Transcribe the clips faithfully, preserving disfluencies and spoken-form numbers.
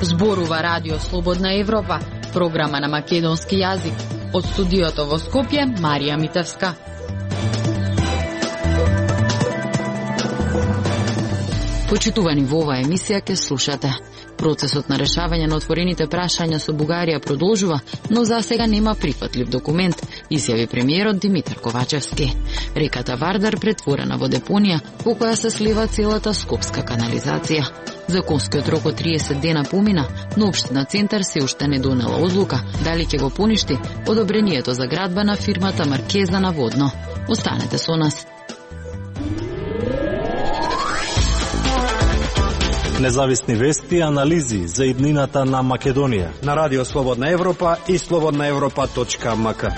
Зборува Радио Слободна Европа, програма на македонски јазик. Од студиото во Скопје, Марија Митевска. Почитувани, во оваа емисија ке слушате. Процесот на решавање на отворените прашања со Бугарија продолжува, но за сега нема прифатлив документ, изјави премиерот Димитар Ковачевски. Реката Вардар претворена во депонија во која се слива целата скопска канализација. Законскиот рок од триесет дена помина, но Општина Центар се уште не донела одлука дали ќе го поништи одобрението за градба на фирмата Маркеза на Водно. Останете со нас. Независни вести и анализи за иднината на Македонија на Радио Слободна Европа и слободна европа точка ем ка.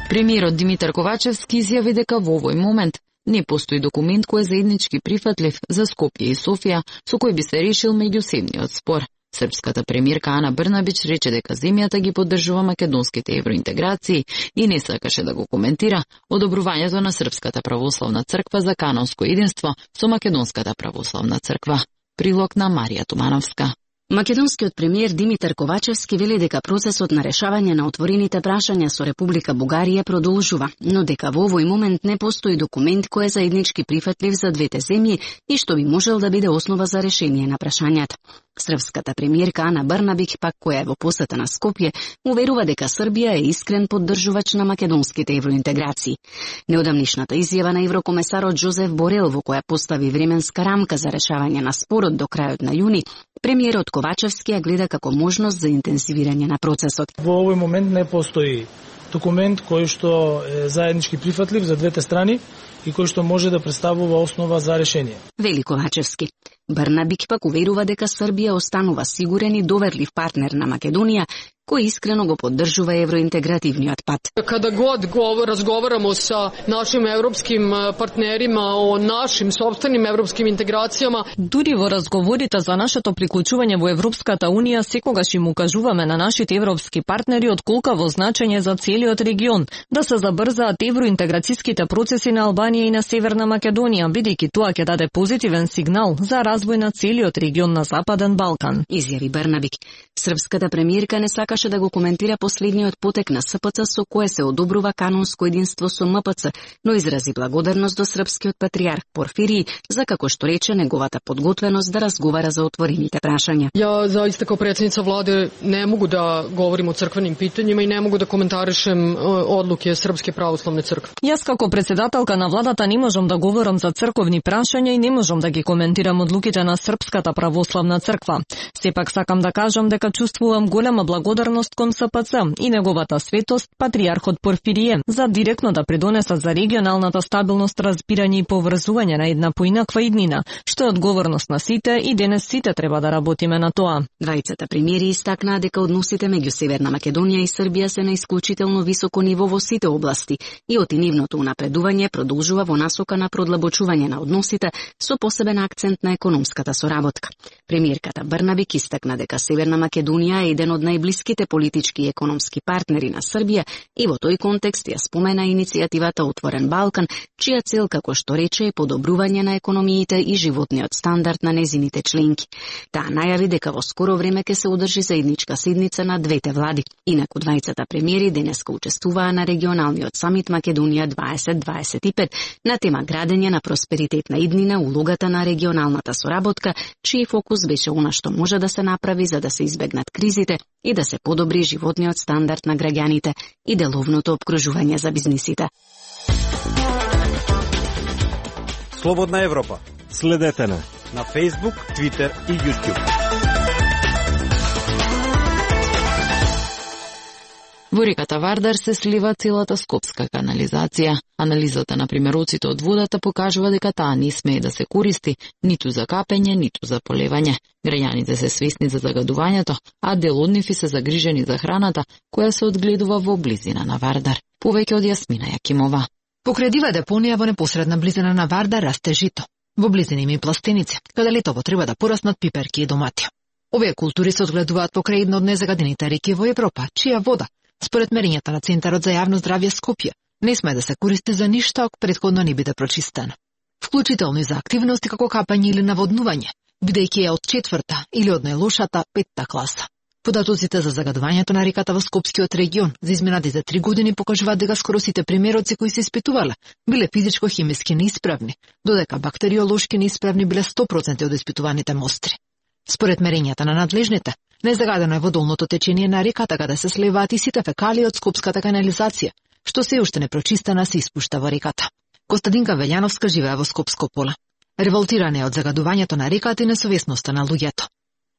Премиерот Димитар Ковачевски изјави дека во овој момент не постои документ кој е заеднички прифатлив за Скопје и Софија, со кој би се решил меѓусебниот спор. Српската премиерка Ана Брнабич рече дека земјата ги поддржува македонските евроинтеграции и не сакаше да го коментира одобрувањето на Српската православна црква за канонско единство со Македонската православна црква. Прилог на Марија Тумановска. Македонскиот премиер Димитар Ковачевски вели дека процесот на решавање на отворените прашања со Република Бугарија продолжува, но дека во овој момент не постои документ кој е заеднички прифатлив за двете земји и што би можел да биде основа за решение на прашањата. Српската премиерка Ана Брнабич, пак која е во посета на Скопје, уверува дека Србија е искрен поддржувач на македонските евроинтеграции. Неодамнишната изјава на еврокомесарот Жозеф Борел, во која постави временска рамка за решавање на спорот до крајот на јуни, премиерот Ковачевски ја гледа како можност за интензивирање на процесот. Во овој момент не постои документ кој што е заеднички прифатлив за двете страни и кој што може да представува основа за решение. Вели Ковачевски. Брнабич пак уверува дека Србија останува сигурен и доверлив партнер на Македонија, кој искрено го поддржува евроинтегративниот пат. Када год го разговарamo sa našim европским партнерима о нашим сопственим европским интеграцијама, дури во разговорите за нашето приклучување во Европската унија, секогаш им укажуваме на нашите европски партнери од колкаво значење за целиот регион да се забрзаат евроинтеграцијските процеси на Албанија и на Северна Македонија, бидејќи тоа ќе даде позитивен сигнал за развој на целиот регион на Западен Балкан. Изјави Брнабич. Српската премиерка не сакаше да го коментира последниот потек на С П Ц со кое се одобрува канонско единство со М П Ц, но изрази благодарност до српскиот патријарх Порфирија за, како што рече, неговата подготвеност да разговара за отворените прашања. Ја заиста као председница владе не могу да говорим о црквеним питањима и не могу да коментаришем одлуке Српске православне цркви. Јас како председателка на владата не можам да говорам за црковни прашања и не можам да ги коментирам одлуките на Српската православна црква. Сепак сакам да кажам дека чувствувам голема благодарност кон С П Ц и неговата светост, патријархот Порфирија, за директно да придонесат за регионалната стабилност, разбирање и поврзување на една поинаква иднина, што е одговорност на сите и денес сите треба да работиме на тоа. Двајцата премиери истакнаа дека односите меѓу Северна Македонија и Србија се на исклучително високо ниво во сите области и отинивното унапредување продолжува во насока на продлабочување на односите со посебен акцент на економската соработка. Премиерката Брнабич истакна дека Северна Македонија е еден од најблиските политички и економски партнери на Србија и во тој контекст ја спомена иницијативата Отворен Балкан, чија цел, како што рече, е подобрување на економиите и животниот стандард на незините членки. Таа најави дека во скоро време ќе се одржи заедничка седница на двете влади. Инаку двајцата премиери денеска учествуваа на регионалниот самит Македонија дваесет дваесет и пет на тема градење на просперитетна иднина, улогата на регионалната соработка, чиј фокус беше она што може да се направи за да се избегнат кризите и да се подобри животниот стандард на граѓаните и деловното опкружување за бизнисите. Слободна Европа. Следете на на Facebook, Twitter и YouTube. Во реката Вардар се слива целата скопска канализација. Анализата на примероците од водата покажува дека таа не смее да се користи ниту за капење, ниту за полевање. Граѓаните се свесни за загадувањето, а дел од нив се загрижени за храната која се одгледува во близина на Вардар. Повеќе од Јасмина Јакимова. Покрај дива депонија во непосредна близина на Вардар расте жито. Во близина има и пластеница, каде летово треба да пораснат пиперки и домати. Овие култури се одгледуваат покрај една од незагадените реки во Европа, чија вода, според мерењата на Центарот за јавно здравје Скопје, не сме да се користи за ништо ако претходно не биде прочистена. Вклучително и за активности како капање или наводнување, бидејќи е од четврта или од најлошата петта класа. Податоците за загадувањето на реката во Скопскиот регион за изминатите три години покажуваат дека скоро сите примероци кои се испитувале биле физичко-хемиски неисправни, додека бактериолошки неисправни биле сто проценти од испитуваните мостри. Според мерењата на надлежните, незагадено е водолното течение на реката каде се сливаат и сите фекалии од скопската канализација, што се уште непрочистена се испушта во реката. Костадинка Велјановска живее во Скопско поле. Револтирана е од загадувањето на реката и несовесноста на луѓето.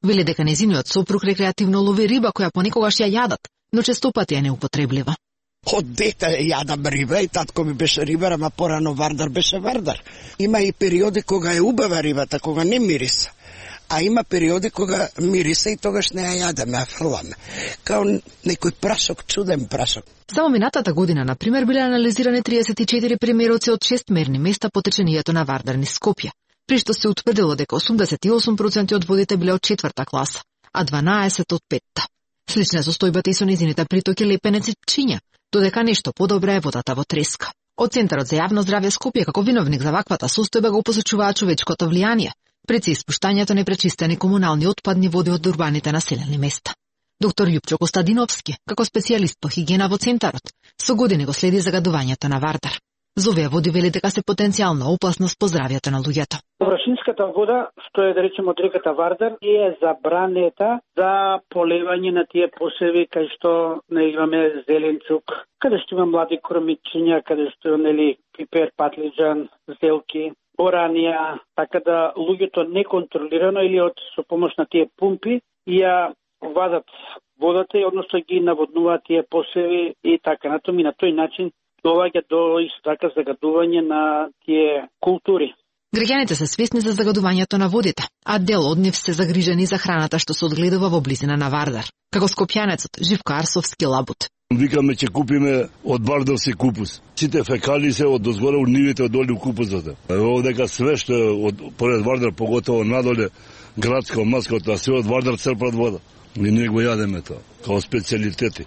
Вели дека незиниот сопруг рекреативно лови риба која понекогаш ја јадат, но честопати е неупотреблива. Од дете јадам риба и татко ми беше рибар, ама порано вардар беше вардар. Има и периоди кога е убава рибата, кога не мириса. А има периоди кога мириса и тогаш не ја јадеме, а фрламе. Као некој прашок, чуден прашок. Само минатата година, например, биле анализирани триесет и четири примероци од шест мерни места по течението на вардар низ Скопје, при што се утврдило дека осумдесет и осум проценти од водите биле од четврта класа, а дванаесет од петта. Слична е состојбата и со низините притоки Лепенец и Пчиња, додека нешто подобра е водата во Треска. Од Центарот за јавно здравје Скопје како виновник за ваквата состојба го посочуваат човечкото влијание, пред се испуштањето непречистени комунални отпадни води од урбаните населени места. Доктор Љупчо Костадиновски, како специјалист по хигиена во Центарот, со години го следи загадувањето на вардар. За овие води вели дека се потенцијална опасност по здравјето на луѓето. Површинската вода, што е да речеме од реката Вардар, е забранета за поливање на тие посеви кај што не имаме зеленчук, каде што има млади кормичиња, каде што нели пипер, патлиџан, зелки, оранија, така да луѓето неконтролирано или од со помош на тие пумпи ја вадат водата и односно ги наводнуваат тие посеви и така натаму и на тој начин доаѓа до исто така загадување на тие култури. Граѓаните се свесни за загадувањето на водите, а дел од нив се загрижени за храната што се одгледува во близина на Вардар, како скопјанецот Живко Арсовски Лабут. Викаме ќе купиме од вардарски купус. Сите фекалии се од дозгоре у нивите од долу купусот. Ево дека све што е од поред Вардар, поготово надоле градско, маското, а све од Вардар црпат вода. И ние го јадеме тоа, као специјалитети.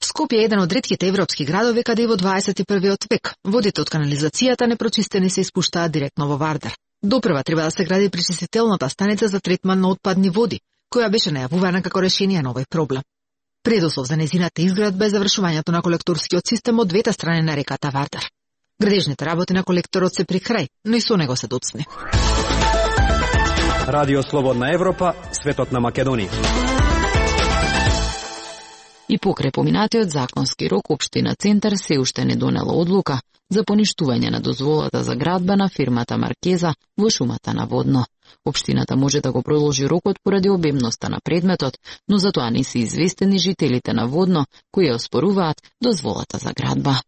Скопје е еден од ретките европски градови каде и во дваесет и првиот век водите од канализацијата непрочистени се испуштаат директно во Вардар. Допрва треба да се гради пречистителната станица за третман на отпадни води, која беше најавувана како решение на овој проблем. Предуслов за незината изградба е завршувањето на колекторскиот систем од двете страни на реката Вардар. Градежните работи на колекторот се при крај, но и со него се доцни. Радио Слободна Европа, светот на Македонија. И покрај поминатиот законски рок, општина Центар се уште не донела одлука за поништување на дозволата за градба на фирмата Маркеза во шумата на Водно. Општината може да го продолжи рокот поради обемноста на предметот, но за тоа не се известени жителите на Водно кои ја оспоруваат дозволата за градба.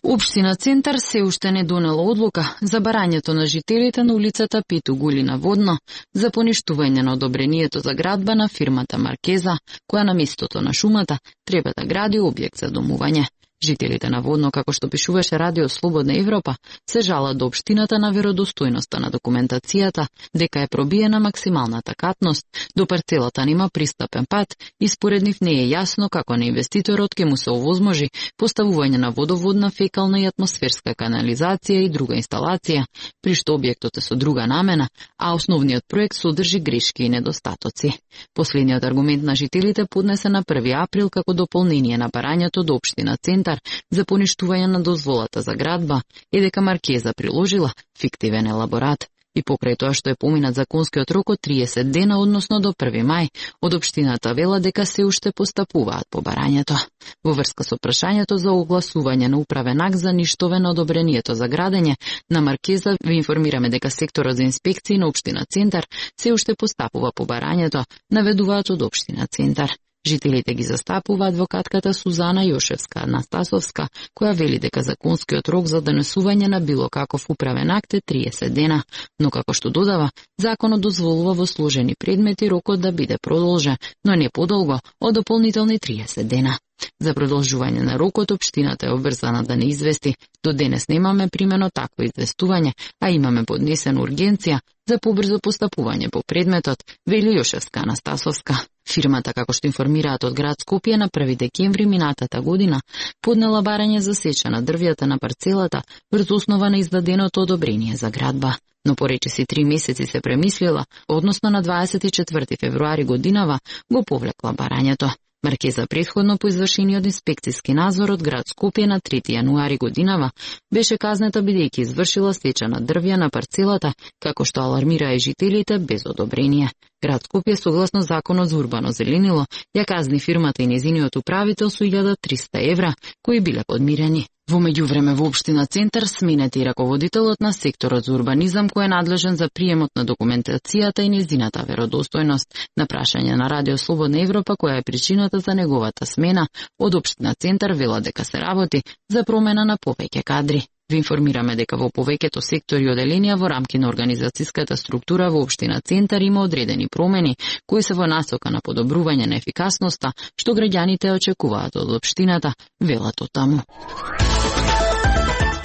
Општина Центар се уште не донела одлука за барањето на жителите на улицата Пету Гули на Водно за поништување на одобрението за градба на фирмата Маркеза, која на местото на шумата треба да гради објект за домување. Жителите на Водно, како што пишуваше Радио Слободна Европа, се жалат до општината на веродостојноста на документацијата, дека е пробиена максималната катност, до парцелата нема пристапен пат и според нив не е јасно како на инвеститорот ќе му се овозможи поставување на водоводна, фекална и атмосферска канализација и друга инсталација, при што објектот е со друга намена, а основниот проект содржи грешки и недостатоци. Последниот аргумент на жителите поднесе на први април како дополнение на барањето до општина Центар за поништување на дозволата за градба е дека Маркеза приложила фиктивен елаборат. И покрај тоа што е поминат законскиот рок од триесет дена, односно до први мај, од општината вела дека се уште постапуваат по барањето. Во врска со прашањето за огласување на управен акт за ништове на одобрението за градење на Маркеза, ви информираме дека секторот за инспекции на општина Центар се уште постапува по барањето, наведуваат од општина Центар. Жителите ги застапува адвокатката Сузана Јошевска Анастасовска, која вели дека законскиот рок за донесување на било каков управен акт е триесет дена, но како што додава, законот дозволува во сложени предмети рокот да биде продолжен, но не подолго од дополнителни триесет дена. За продолжување на рокот, општината е обврзана да не извести. До денес немаме примено такво известување, а имаме поднесена ургенција за побрзо постапување по предметот, вели Јошевска Анастасовска. Фирмата, како што информираат од град Скопје, на први декември минатата година поднела барање за сеча на дрвјата на парцелата врз основа на издаденото одобрение за градба. Но поречиси три месеци се премислила, односно на дваесет и четврти февруари годинава го повлекла барањето. Маркеза претходно по извршениот инспекцијски надзор од град Скопје на трети јануари годинава беше казнета бидејќи извршила сеча на дрвја на парцелата, како што алармираа и жителите без одобрение. Град Скопје, согласно законот за урбано зеленило, ја казни фирмата и незиниот управител со илјада и триста евра, кои биле подмирени. Во меѓувреме во општина Центар сменет и раководителот на секторот за урбанизам кој е надлежен за приемот на документацијата и незината веродостојност. На прашање на Радио Слободна Европа која е причината за неговата смена, од општина Центар вела дека се работи за промена на повеќе кадри. Ви информираме дека во повеќето сектори и оделенија во рамки на организацијската структура во општина Центар има одредени промени кои се во насока на подобрување на ефикасноста, што граѓаните очекуваат од општината, велат од таму.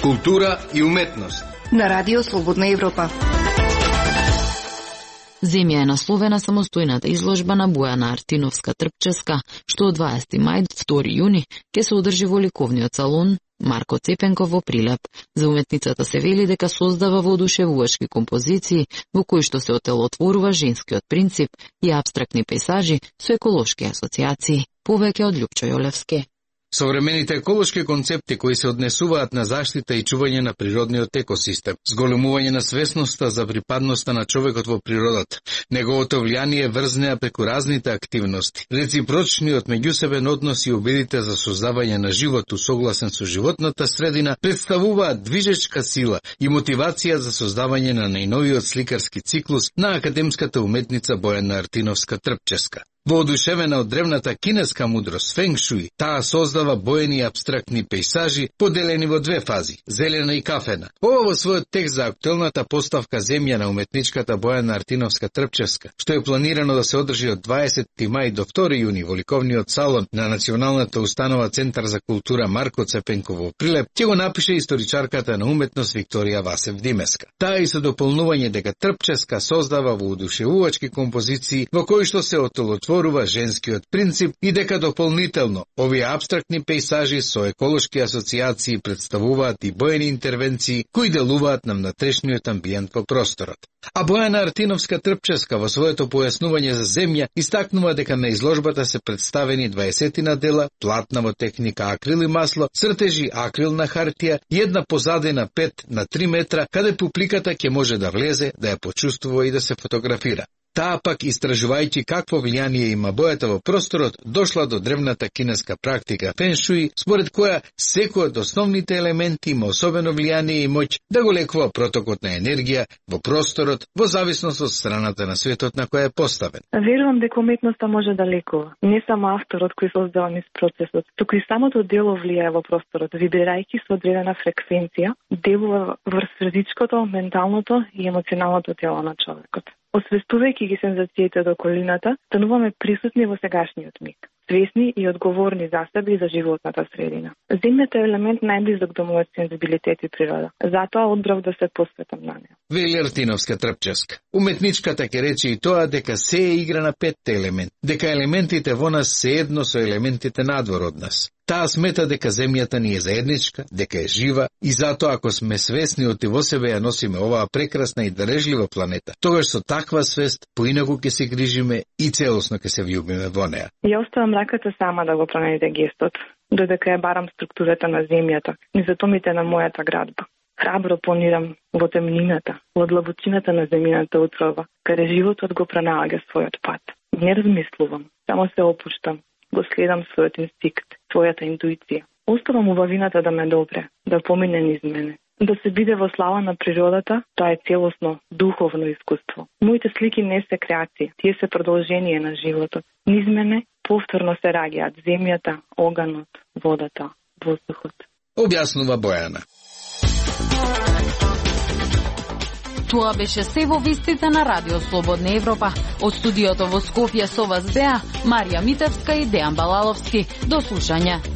Култура и уметност на Радио Слободна Европа. Земја е насловена самостојната изложба на Бојана Артиновска Трпческа, што од дваесети мај до втори јуни ќе се одржи во ликовниот салон Марко Цепенков во Прилеп. За уметницата се вели дека создава воодушевувачки композиции во кои што се отелотворува женскиот принцип и апстрактни пейзажи со еколошки асоциации. Повеќе од Љупчо Јолевски. Современите еколошки концепти кои се однесуваат на заштита и чување на природниот екосистем, зголемување на свесноста за припадноста на човекот во природата, неговото влијание врзнеа преку разните активности, реципрочниот меѓусебен однос и обидите за создавање на живот усогласен со животната средина представуваат движечка сила и мотивација за создавање на најновиот сликарски циклус на академската уметница Бојана Артиновска Трпческа. Воодушевена од древната кинеска мудрост фенг шуи, таа создава боени апстрактни пейзажи поделени во две фази, зелена и кафена. Ова во својот текст за актуелната поставка земја на уметничката Бојана Артиновска Трпческа, што е планирано да се одржи од дваесети мај до втори јуни во ликовниот салон на Националната установа Центар за култура Марко Цепенков во Прилеп, ќе го напише историчарката на уметност Викторија Васев Димеска. Таа и со дополнување дека Трпческа создава воодушевувачки композиции во кои што се отолотворува женскиот принцип и дека дополнително овие апстрактни пейзажи со еколошки асоциации представуваат и боени интервенции кои делуваат на внатрешниот амбиент во просторот. А Бојана Артиновска Трпческа во своето појаснување за земја истакнува дека на изложбата се представени дваесетина дела, платна во техника акрил и масло, цртежи акрил на хартија и една позадина пет на три метра, каде публиката ќе може да влезе, да ја почувствува и да се фотографира. Таа пак, истражувајќи какво влијание има бојата во просторот, дошла до древната кинеска практика фен шуи, според која секој од основните елементи има особено влијание и моќ да го лекува протокот на енергија во просторот во зависност од страната на светот на која е поставен. Верувам дека уметноста може да лекува. Не само авторот кој создава низ процесот, туку и самото дело влијае во просторот, вибрирајќи со одредена фреквенција, делува врз физичкото, менталното и емоционалното тело на човекот. Освестувајќи ги сензациите до околината, стануваме присутни во сегашниот миг, свесни и одговорни за себе и за животната средина. Земјата е елемент најблизок до мојот сензибилитет и природа, затоа одбрав да се посветам на неа. Вели Артиновска Трпческа. Уметничката ќе рече и тоа дека се е игра на петте елемент, дека елементите во нас се едно со елементите надвор од нас. Таа смета дека земјата ни е заедничка, дека е жива и затоа ако сме свесни од во себе ја носиме оваа прекрасна и дарежлива планета, тогаш со таква свест поинаку ќе се грижиме и целосно ќе се влюбиме во неа. Ја оставам раката сама да го промените гестот, додека ја барам структурата на земјата, низ атомите на мојата градба. Храбро планирам во темнината, во длабочината на земјината утрова, каде животот го пронаоѓа својот пат. Не размислувам, само се опуштам, го следам својот инстинкт, својата интуиција. Оставам убавината да ме допре, да помине низ мене. Да се биде во слава на природата, тоа е целосно, духовно искуство. Моите слики не се креации, тие се продолжение на животот. Низ мене повторно се раѓаат земјата, оганот, водата, воздухот. Објаснува Бојана. Тоа беше се во вестите на Радио Слободна Европа. Од студиото во Скопје со вас беа Марија Митевска и Дејан Балаловски. До слушање.